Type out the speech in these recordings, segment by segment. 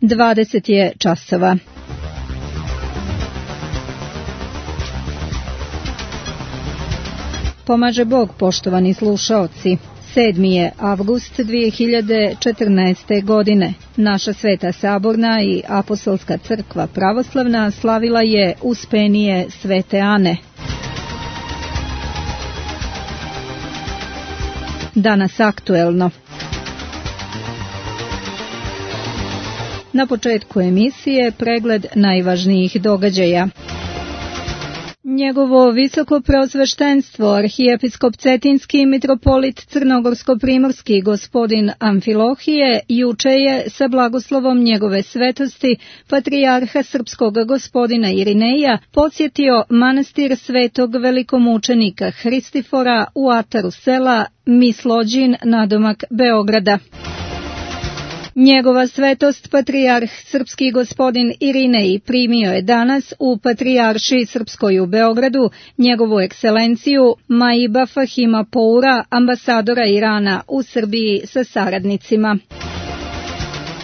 20 je časova. Pomaže Bog, poštovani slušaoci. 7. je avgust 2014. godine. Naša Sveta Saborna i Apostolska crkva pravoslavna slavila je Uspenije Svete Ane. Danas aktuelno. Na početku emisije pregled najvažnijih događaja. Njegovo visoko preosveštenstvo, arhijepiskop Cetinski mitropolit Crnogorsko-primorski gospodin Amfilohije, juče je sa blagoslovom njegove svetosti patrijarha srpskog gospodina Irineja posjetio manastir svetog velikomučenika Hristifora u ataru sela Mislođin nadomak Beograda. Njegova svetost patrijarh srpski gospodin Irinej primio je danas u Patrijaršiji srpskoj u Beogradu njegovu ekscelenciju Maiba Fahima Poura, ambasadora Irana u Srbiji sa saradnicima.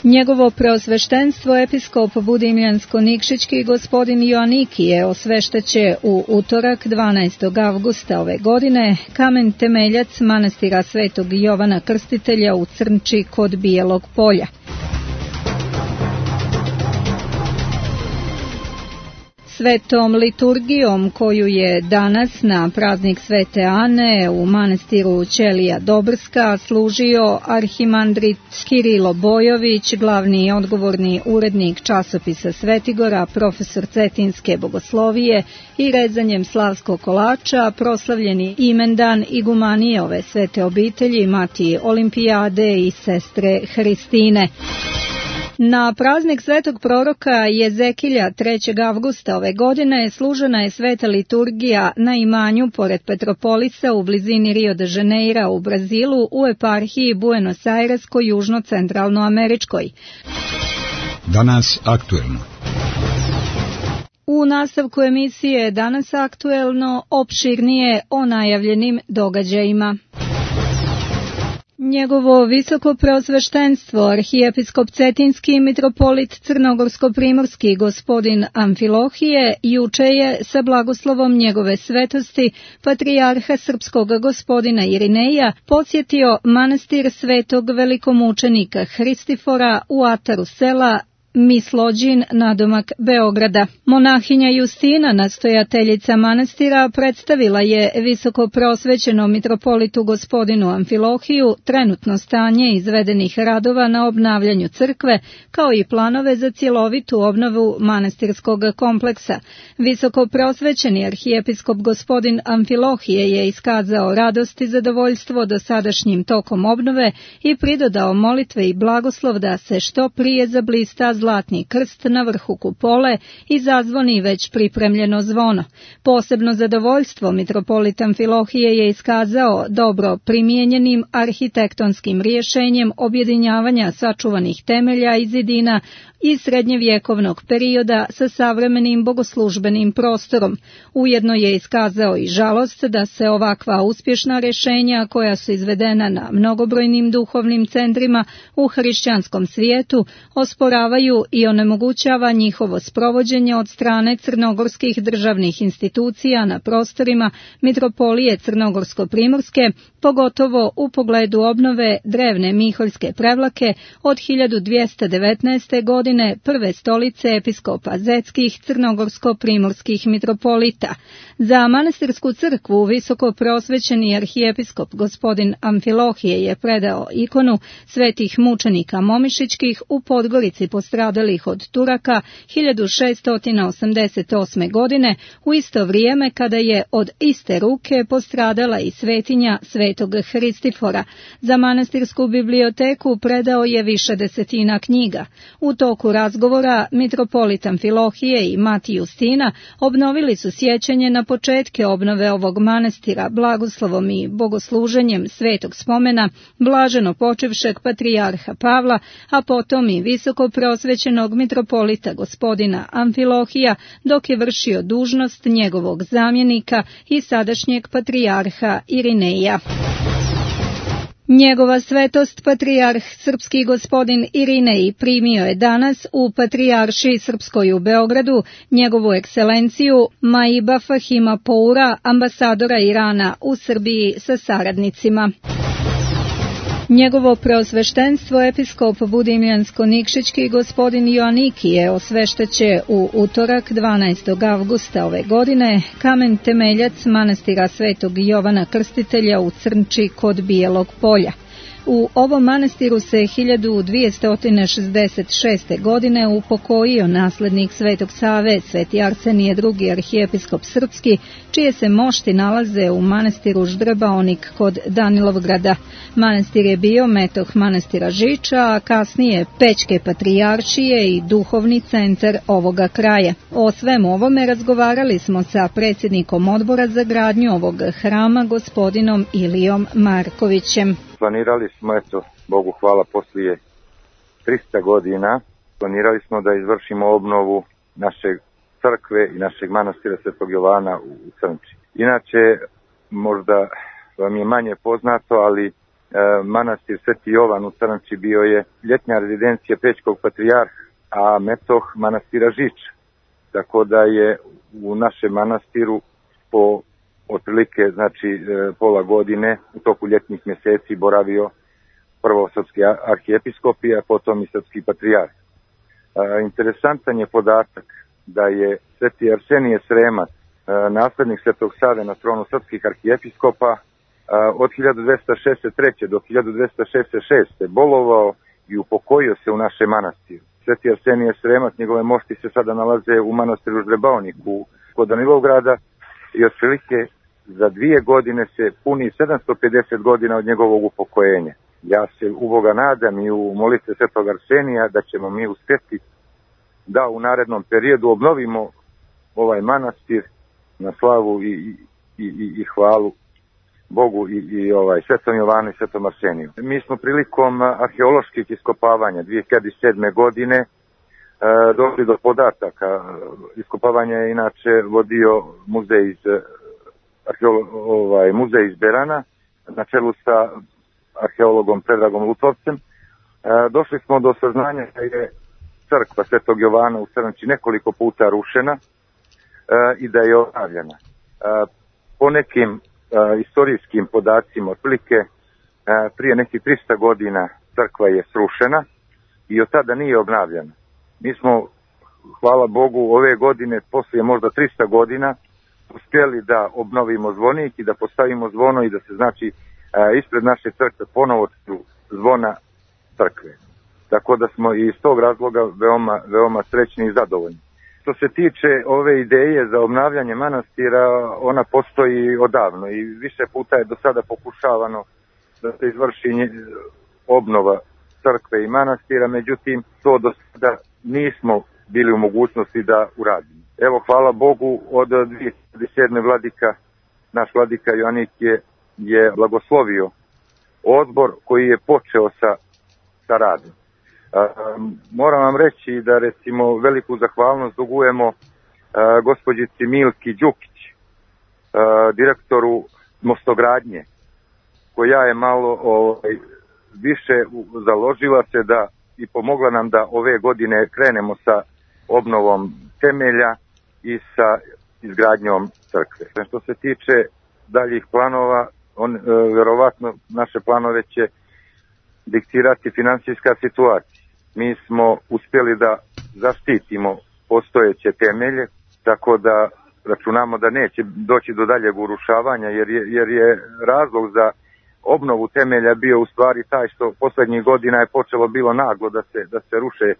Njegovo preosveštenstvo episkop Budimljansko-Nikšićki gospodin Joanikije osveštaće u utorak 12. avgusta ove godine kamen temeljac manastira Svetog Jovana Krstitelja u Crnči kod Bijelog polja. Svetom liturgijom koju je danas na praznik Svete Ane u manastiru Ćelija Dobrska služio arhimandrit Kirilo Bojović, glavni i odgovorni urednik časopisa Svetigora, profesor Cetinske bogoslovije i rezanjem slavskog kolača proslavljeni imendan igumanije ove svete obitelji Matije Olimpijade i sestre Hristine. Na praznik svetog proroka Jezekilja 3. avgusta ove godine služena je sveta liturgija na imanju pored Petropolisa u blizini Rio de Janeira u Brazilu u eparhiji Buenos Airesko južno-centralnoameričkoj. Danas aktuelno. U nastavku emisije Danas aktuelno opširnije o najavljenim događajima. Njegovo visoko preosveštenstvo, arhijepiskop Cetinski mitropolit Crnogorsko-primorski gospodin Amfilohije, juče je sa blagoslovom njegove svetosti patrijarha srpskog gospodina Irineja posjetio manastir svetog velikomučenika Hristifora u ataru sela Mislođin nadomak Beograda. Monahinja Justina, nastojateljica manastira, predstavila je visoko prosvećenom mitropolitu gospodinu Amfilohiju trenutno stanje izvedenih radova na obnavljanju crkve, kao i planove za cjelovitu obnovu manastirskog kompleksa. Visoko prosvećeni arhijepiskop gospodin Amfilohije je iskazao radost i zadovoljstvo dosadašnjim tokom obnove i pridodao molitve i blagoslov da se što prije zablista zlatni krst na vrhu kupole i zazvoni već pripremljeno zvono. Posebno zadovoljstvo mitropolit Amfilohije je iskazao dobro primijenjenim arhitektonskim rješenjem objedinjavanja sačuvanih temelja i zidina iz srednjevjekovnog perioda sa savremenim bogoslužbenim prostorom. Ujedno je iskazao i žalost da se ovakva uspješna rješenja koja su izvedena na mnogobrojnim duhovnim centrima u hrišćanskom svijetu osporavaju i onemogućava njihovo sprovođenje od strane crnogorskih državnih institucija na prostorima mitropolije Crnogorsko-primorske, pogotovo u pogledu obnove drevne Miholjske prevlake od 1219. godine prve stolice episkopa Zetskih crnogorsko-primorskih mitropolita. Za manastirsku crkvu visoko preosvećeni arhijepiskop gospodin Amfilohije je predao ikonu svetih mučenika Momišićkih u Podgorici postradalih od Turaka 1688. godine, u isto vrijeme kada je od iste ruke postradala i svetinja svetog Hristifora. Za manastirsku biblioteku predao je više desetina knjiga. U toku razgovora mitropolit Amfilohije i Matija Justina obnovili su sjećanje na početke obnove ovog manastira blagoslovom i bogosluženjem svetog spomena blaženo počevšeg patrijarha Pavla, a potom i visoko preosvećenog mitropolita gospodina Amfilohija dok je vršio dužnost njegovog zamjenika i sadašnjeg patrijarha Irineja. Njegova svetost patrijarh srpski gospodin Irinej primio je danas u Patrijaršiji Srpskoj u Beogradu njegovu ekscelenciju Maiba Fahima Poura, ambasadora Irana u Srbiji sa saradnicima. Njegovo preosveštenstvo episkop Budimljansko-Nikšićki gospodin Joanikije osveštaće u utorak 12. avgusta ove godine kamen temeljac manastira Svetog Jovana Krstitelja u Crnči kod Bijelog polja. U ovom manastiru se 1266. godine upokojio naslednik Svetog Save, Sveti Arsenije II. Arhijepiskop srpski, čije se mošti nalaze u manastiru Ždrbaonik kod Danilovgrada. Manastir je bio metoh manastira Žiča, a kasnije Pećke patrijaršije i duhovni centar ovoga kraja. O svemu ovome razgovarali smo sa predsjednikom odbora za gradnju ovog hrama, gospodinom Ilijom Markovićem. Planirali smo, Bogu hvala, poslije 300 godina, planirali smo da izvršimo obnovu naše crkve i našeg manastira Svetog Jovana u Crnči. Inače, možda vam je manje poznato, ali manastir Sveti Jovan u Crnči bio je ljetnja rezidencija Pećkog patrijarha, a metoh manastira Žiča. Tako da je u našem manastiru po otprilike, pola godine u toku ljetnih mjeseci boravio prvo srpski arhijepiskop, a potom i srpski patrijarh. Interesantan je podatak da je Sveti Arsenije Sremac, naslednik Svetog Save na tronu srpskih arhijepiskopa, od 1263. do 1266. bolovao i upokojio se u našem manastiru. Sveti Arsenije Sremac, njegove mošti se sada nalaze u manastiru Ždrbaoniku kod Danilovgrada i otprilike za 2 godine se puni 750 godina od njegovog upokojenja. Ja se u Boga nadam i u molitve Svetog Arsenija da ćemo mi uspjeti da u narednom periodu obnovimo ovaj manastir na slavu i hvalu Bogu i Svetom Jovanu i Svetom Arseniju. Mi smo prilikom arheoloških iskopavanja 2007. godine došli do podataka. Iskopavanje je inače vodio muzej iz Berana na čelu sa arheologom Predragom Lutovcem. Došli smo do saznanja da je crkva Svetog Jovana u Crnči nekoliko puta rušena i da je obnavljana. Po nekim istorijskim podacima, otprilike prije nekih 300 godina crkva je srušena i od tada nije obnavljana. Mi smo, hvala Bogu, ove godine, poslije možda 300 godina, uspjeli da obnovimo zvonik i da postavimo zvono i da se ispred naše crkve ponovo zvona crkve. Tako da smo i iz tog razloga veoma srećni i zadovoljni. Što se tiče ove ideje za obnavljanje manastira, ona postoji odavno i više puta je do sada pokušavano da se izvrši obnova crkve i manastira, međutim to do sada nismo bili u mogućnosti da uradimo. Evo, hvala Bogu, od 2007. naš vladika Joanik je blagoslovio odbor koji je počeo sa radom. Moram vam reći da recimo veliku zahvalnost dugujemo gospođici Milki Đukić, direktoru mostogradnje, koja je malo više založila se da i pomogla nam da ove godine krenemo sa obnovom temelja i sa izgradnjom crkve. Što se tiče daljih planova, vjerovatno naše planove će diktirati financijska situacija. Mi smo uspjeli da zaštitimo postojeće temelje, tako da računamo da neće doći do daljeg urušavanja, jer je razlog za obnovu temelja bio u stvari taj što posljednjih godina je počelo bilo naglo da se ruše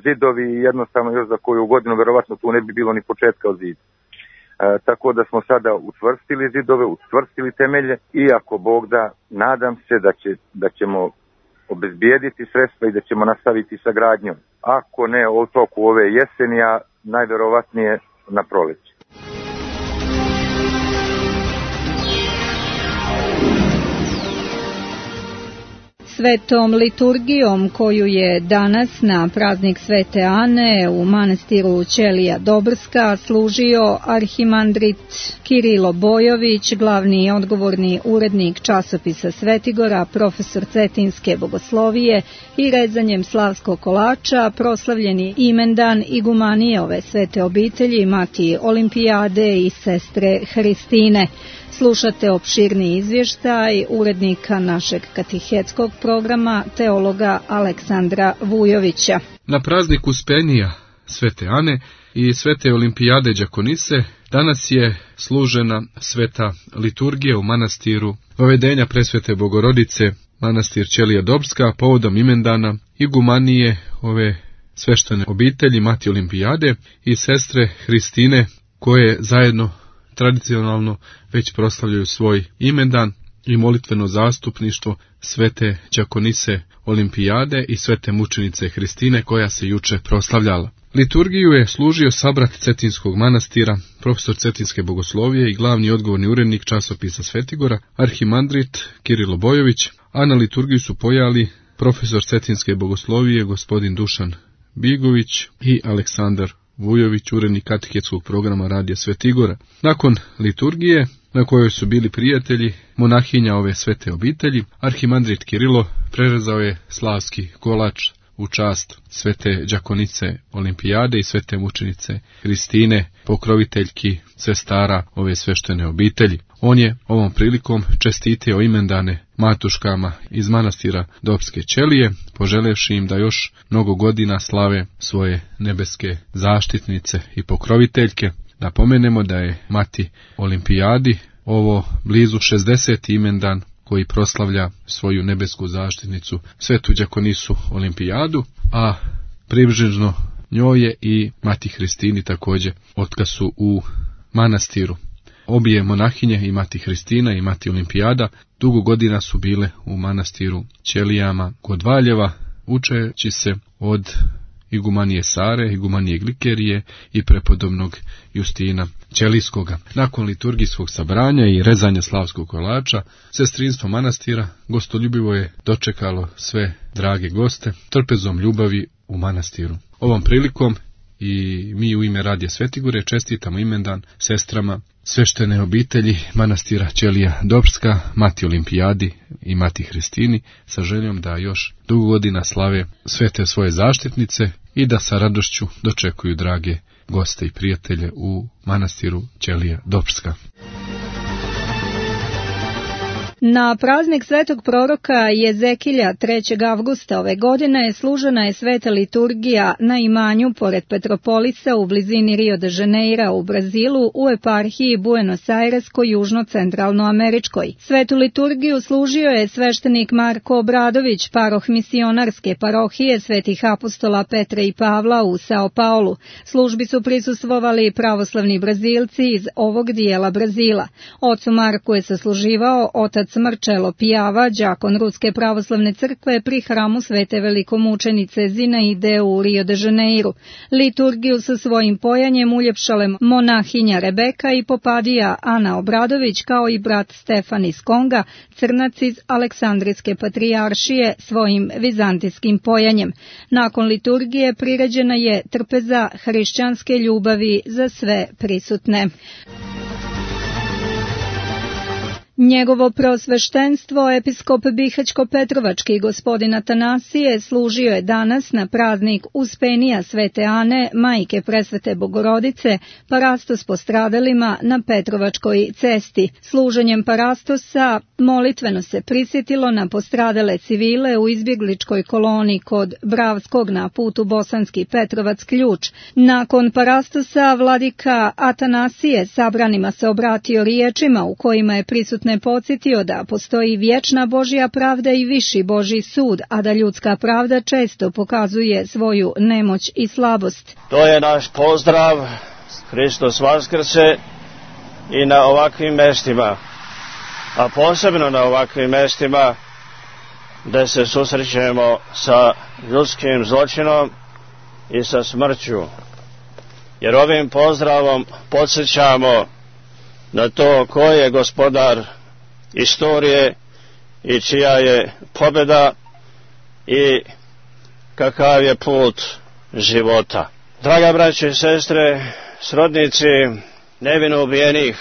zidovi i jednostavno još za koju godinu vjerovatno tu ne bi bilo ni početka od zida. Tako da smo sada učvrstili zidove, učvrstili temelje i ako Bog da, nadam se da ćemo obezbijediti sredstva i da ćemo nastaviti sa gradnjom. Ako ne u toku ove jeseni, a najvjerovatnije na proleće. svetom liturgijom koju je danas na praznik Svete Ane u manastiru Ćelija Dobrska služio arhimandrit Kirilo Bojović, glavni i odgovorni urednik časopisa Svetigora, profesor cetinske bogoslovije i rezanjem slavskog kolača, proslavljeni imendan igumanije ove svete obitelji, mati Olimpijade i sestre Hristine. Slušate opširni izvještaj urednika našeg katehetskog programa, teologa Aleksandra Vujovića. Na praznik Uspenija Svete Ane i Svete Olimpijade đakonise danas je služena sveta liturgija u manastiru Vavedenja Presvete Bogorodice, manastir Ćelija Dobrska, povodom imendana igumanije ove sveštene obitelji, mati Olimpijade i sestre Hristine, koje zajedno tradicionalno već proslavljaju svoj imendan i molitveno zastupništvo svete đakonise Olimpijade i svete mučenice Hristine, koja se juče proslavljala. Liturgiju je služio sabrat Cetinskog manastira, profesor cetinske bogoslovije i glavni odgovorni urednik časopisa Svetigora, arhimandrit Kirilo Bojović, a na liturgiju su pojali profesor cetinske bogoslovije gospodin Dušan Bigović i Aleksandar Vujović, urednik katehetskog programa Radija Svetigora. Nakon liturgije, na kojoj su bili prijatelji monahinja ove svete obitelji, arhimandrit Kirilo prerezao je slavski kolač u čast svete đakonice Olimpijade i svete mučenice Hristine, pokroviteljki sestara ove sveštene obitelji. On je ovom prilikom čestitio imendane matuškama iz manastira Dobrske Ćelije, poželevši im da još mnogo godina slave svoje nebeske zaštitnice i pokroviteljke. Napomenemo da je mati Olimpijadi ovo blizu 60. imendan koji proslavlja svoju nebesku zaštitnicu, svetu đakonisu Olimpijadu, a približno njoj je i mati Hristini također, otkad su u manastiru. Obje monahinje, i mati Hristina i mati Olimpijada, dugo godina su bile u manastiru Ćelijama kod Valjeva, učeći se od igumanije Sare, igumanije Glikerije i prepodobnog Justina Ćelijskoga. Nakon liturgijskog sabranja i rezanja slavskog kolača, sestrinstvo manastira gostoljubivo je dočekalo sve drage goste trpezom ljubavi u manastiru. Ovom prilikom i mi u ime Radija Svetigore čestitamo imendan sestrama sveštene obitelji manastira Ćelija Dobrska, mati Olimpijadi i mati Hristini, sa željom da još dugo godina slave svete svoje zaštitnice i da sa radošću dočekuju drage goste i prijatelje u manastiru Ćelija Dobrska. Na praznik svetog proroka Jezekilja 3. avgusta ove godine služena je sveta liturgija na imanju pored Petropolisa u blizini Rio de Janeira u Brazilu u eparhiji Buenos Aireskoj južno-centralnoameričkoj. Svetu liturgiju služio je sveštenik Marko Obradović, paroh misionarske parohije Svetih apostola Petra i Pavla u Sao Paulu. Službi su prisustvovali pravoslavni Brazilci iz ovog dijela Brazila. Ocu Marku je sasluživao otac Marčelo Pijava, đakon Ruske pravoslavne crkve pri hramu svete velikomučenice Zinaide u Rio de Janeiru. Liturgiju sa svojim pojanjem uljepšale monahinja Rebeka i popadija Ana Obradović, kao i brat Stefan iz Konga, crnac iz Aleksandrijske patrijaršije, svojim vizantijskim pojanjem. Nakon liturgije priređena je trpeza hrišćanske ljubavi za sve prisutne. Njegovo preosveštenstvo, episkop Bihaćko-Petrovački gospodin Atanasije, služio je danas na praznik Uspenija Svete Ane, majke Presvete Bogorodice, parastos postradalima na Petrovačkoj cesti. Služenjem parastosa molitveno se prisjetilo na postradale civile u izbjegličkoj koloni kod Bravskog na putu Bosanski Petrovac Ključ. Nakon parastosa vladika Atanasije sabranima se obratio riječima u kojima je prisutne podsjetio da postoji vječna Božja pravda i viši Božji sud, a da ljudska pravda često pokazuje svoju nemoć i slabost. To je naš pozdrav, Hristos Vaskrse, i na ovakvim mestima, a posebno na ovakvim mestima gdje se susrećemo sa ljudskim zločinom i sa smrću. Jer ovim pozdravom podsjećamo na to ko je gospodar istorije i čija je pobjeda i kakav je put života. Draga braće i sestre, srodnici nevino ubijenih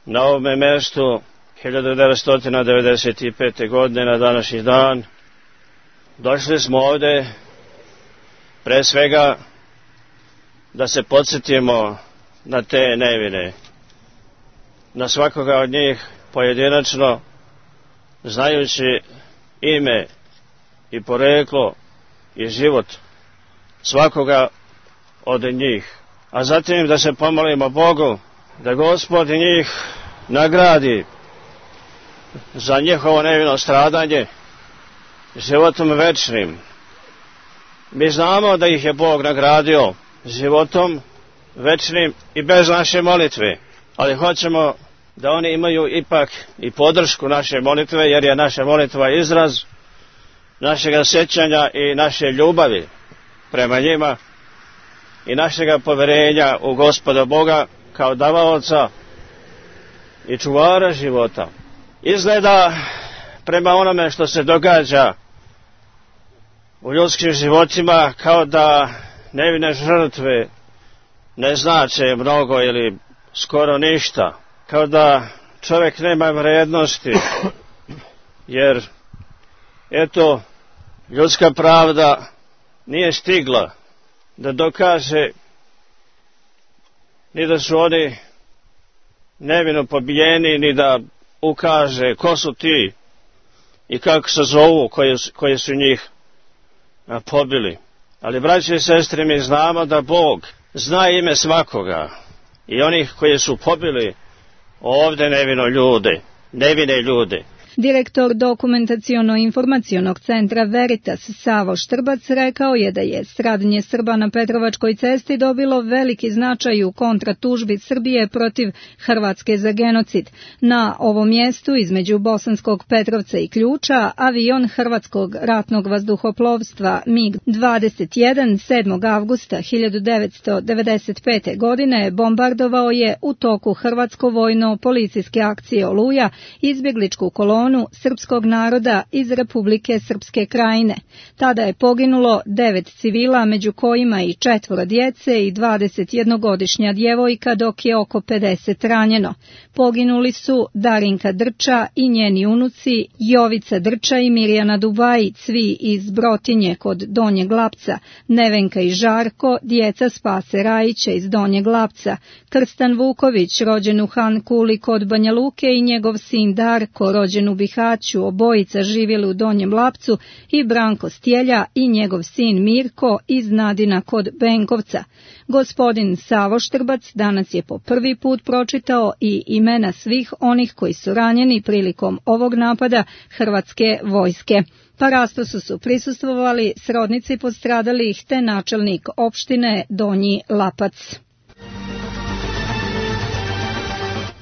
na ovome mjestu 1995. godine na današnji dan, došli smo ovdje pre svega da se podsjetimo na te nevine, na svakoga od njih pojedinačno, znajući ime i poreklo i život svakoga od njih, a zatim da se pomolimo Bogu da Gospod njih nagradi za njihovo nevino stradanje životom večnim. Mi znamo da ih je Bog nagradio životom večnim i bez naše molitve, ali hoćemo da oni imaju ipak i podršku naše molitve, jer je naša molitva izraz našega sjećanja i naše ljubavi prema njima i našega poverenja u Gospoda Boga kao davaoca i čuvara života. Izgleda prema onome što se događa u ljudskim životima kao da nevine žrtve ne znače mnogo ili skoro ništa, kao da čovjek nema vrijednosti, jer eto, ljudska pravda nije stigla da dokaže ni da su oni nevino pobijeni, ni da ukaže ko su ti i kako se zovu koji su njih pobili. Ali, braće i sestre, mi znamo da Bog zna ime svakoga i onih koji su pobili ovdje nevine ljude. Direktor Dokumentaciono-informacionog centra Veritas Savo Štrbac rekao je da je stradanje Srba na Petrovačkoj cesti dobilo veliki značaj u kontratužbi Srbije protiv Hrvatske za genocid. Na ovom mjestu između Bosanskog Petrovca i Ključa avion Hrvatskog ratnog vazduhoplovstva MiG-21 7. avgusta 1995. godine bombardovao je u toku hrvatsko-vojno-policijske akcije Oluja izbjegličku kolonu srpskog naroda iz Republike Srpske Krajine. Tada je poginulo 9 civila, među kojima i 4 djece i 21-godišnja djevojka, dok je oko 50 ranjeno. Poginuli su Darinka Drča i njeni unuci, Jovica Drča i Mirjana Dubajić, svi iz Brotinje kod Donjeg Lapca, Nevenka i Žarko, djeca Spase Rajića iz Donjeg Lapca, Krstan Vuković, rođen u Han Kuli kod Banja Luke, i njegov sin Darko, rođen u Bihaću, obojica živjeli u Donjem Lapcu, i Branko Stjelja i njegov sin Mirko iz Nadina kod Benkovca. Gospodin Savo Štrbac danas je po prvi put pročitao i imena svih onih koji su ranjeni prilikom ovog napada Hrvatske vojske. Parastosu su prisustvovali srodnici postradalih te načelnik opštine Donji Lapac.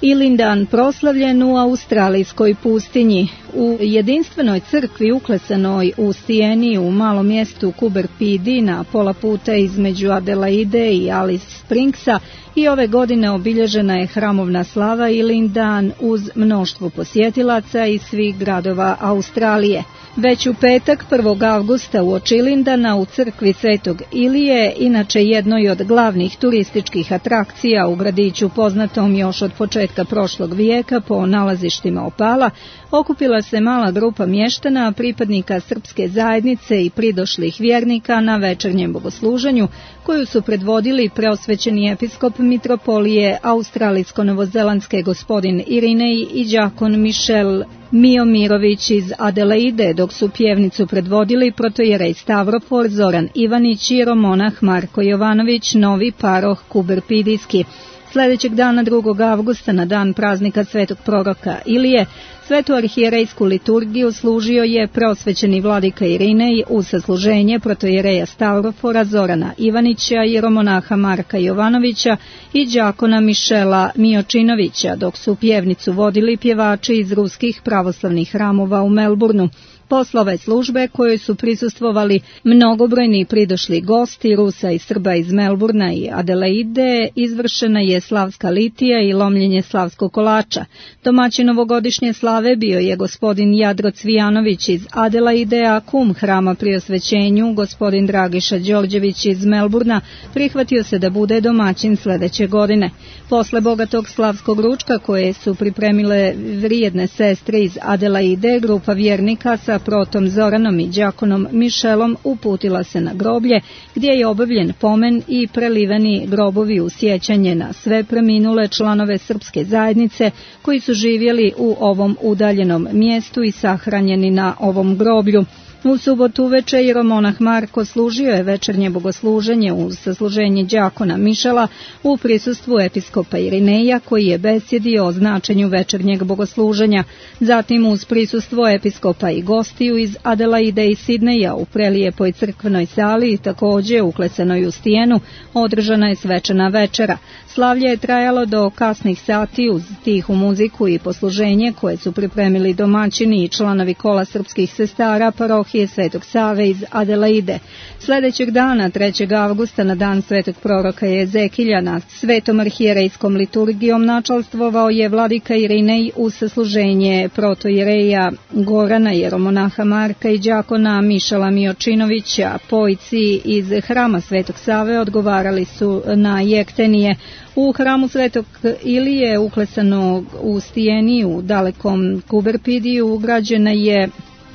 Ilindan proslavljen u australijskoj pustinji. U jedinstvenoj crkvi uklesanoj u Sijeni u malom mjestu Kuberpidi na pola puta između Adelaide i Alice Springsa i ove godine obilježena je hramovna slava Ilindan uz mnoštvo posjetilaca iz svih gradova Australije. Već u petak 1. avgusta uoči Ilindana u crkvi Svetog Ilije, inače jednoj od glavnih turističkih atrakcija u gradiću poznatom još od početka prošlog vijeka po nalazištima opala, okupila se mala grupa mještana, pripadnika srpske zajednice i pridošlih vjernika na večernjem bogosluženju, koju su predvodili preosvećeni episkop mitropolije australijsko-novozelandske gospodin Irinej i đakon Michel Miomirović iz Adelaide, dok su pjevnicu predvodili protojerej Stavrofor Zoran Ivanić i jeromonah Marko Jovanović, novi paroh Kuberpidijski. Sljedećeg dana 2. avgusta na dan praznika svetog proroka Ilije, svetu arhijerejsku liturgiju služio je preosvećeni vladika Irinej uz sasluženje protojereja Stavrofora Zorana Ivanića, jeromonaha Marka Jovanovića i đakona Mišela Miočinovića, dok su pjevnicu vodili pjevači iz ruskih pravoslavnih hramova u Melbourneu. Posle ove službe kojoj su prisustvovali mnogobrojni pridošli gosti Rusa i Srba iz Melburna i Adelaide, izvršena je slavska litija i lomljenje slavskog kolača. Domaćin ovogodišnje slave bio je gospodin Jadro Cvijanović iz Adelaide, a kum hrama pri osvećenju, gospodin Dragiša Đorđević iz Melburna, prihvatio se da bude domaćin sledeće godine. Posle bogatog slavskog ručka koje su pripremile vrijedne sestre iz Adelaide, grupa vjernika sa protom Zoranom i đakonom Mišelom uputila se na groblje, gdje je obavljen pomen i preliveni grobovi u sjećanje na sve preminule članove srpske zajednice koji su živjeli u ovom udaljenom mjestu i sahranjeni na ovom groblju. U subotu uveče jeromonah Marko služio je večernje bogosluženje uz sasluženje đakona Mišela u prisustvu episkopa Irineja, koji je besjedio o značenju večernjeg bogosluženja. Zatim uz prisustvo episkopa i gostiju iz Adelaide i Sidneja u prelijepoj crkvenoj sali i također uklesanoj u stijenu održana je svečana večera. Slavlje je trajalo do kasnih sati uz tihu muziku i posluženje koje su pripremili domaćini i članovi kola srpskih sestara parohije Svetog Save iz Adelaide. Sljedećeg dana, 3. avgusta, na dan svetog proroka Jezekilja, nad svetom arhijerejskom liturgijom načalstvovao je vladika Irinej uz sasluženje protojereja Gorana, jeromonaha Marka i đakona Mišela Miočinovića. Pojci iz hrama Svetog Save odgovarali su na jektenije. U hramu Svetog Ilije, uklesanog u stijeni u dalekom Kuberpidiju, ugrađena je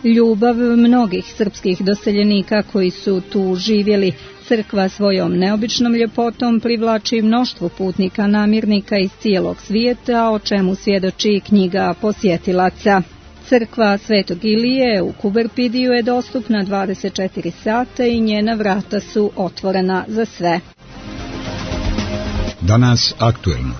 ljubav mnogih srpskih doseljenika koji su tu živjeli. Crkva svojom neobičnom ljepotom privlači mnoštvo putnika namirnika iz cijelog svijeta, o čemu svjedoči knjiga posjetilaca. Crkva Svetog Ilije u Kuberpidiju je dostupna 24 sata i njena vrata su otvorena za sve. Danas aktuelno.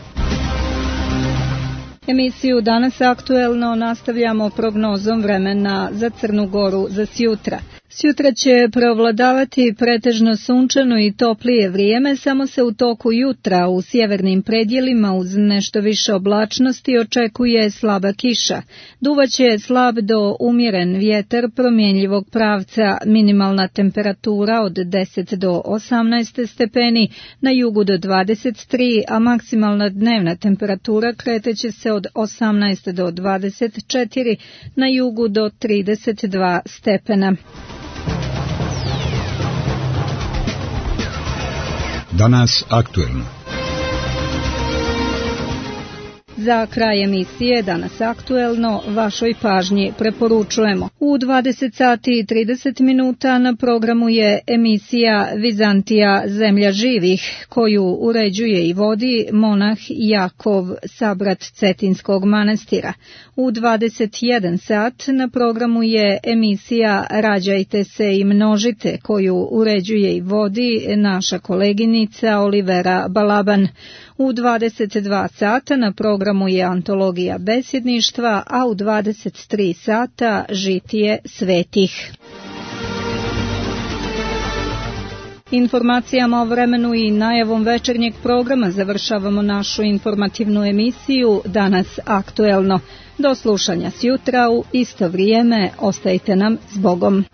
Emisiju Danas aktuelno nastavljamo prognozom vremena za Crnu Goru za sjutra. Sjutra će preovladavati pretežno sunčano i toplije vrijeme, samo se u toku jutra u sjevernim predjelima uz nešto više oblačnosti očekuje slaba kiša. Duvaće slab do umjeren vjetar promjenjivog pravca, minimalna temperatura od 10 do 18 stepeni, na jugu do 23, a maksimalna dnevna temperatura kreteće se od 18 do 24, na jugu do 32 stepena. Danas aktuelno. Za kraj emisije Danas aktuelno vašoj pažnji preporučujemo. U 20 sati i 30 minuta na programu je emisija Vizantija zemlja živih, koju uređuje i vodi monah Jakov, sabrat Cetinskog manastira. U 21 sat na programu je emisija Rađajte se i množite, koju uređuje i vodi naša koleginica Olivera Balaban. U 22 sata na programu je antologija besjedništva, a u 23 sata žitije svetih. Informacijama o vremenu i najavom večernjeg programa završavamo našu informativnu emisiju Danas aktuelno. Do slušanja sjutra u isto vrijeme, ostajte nam s Bogom.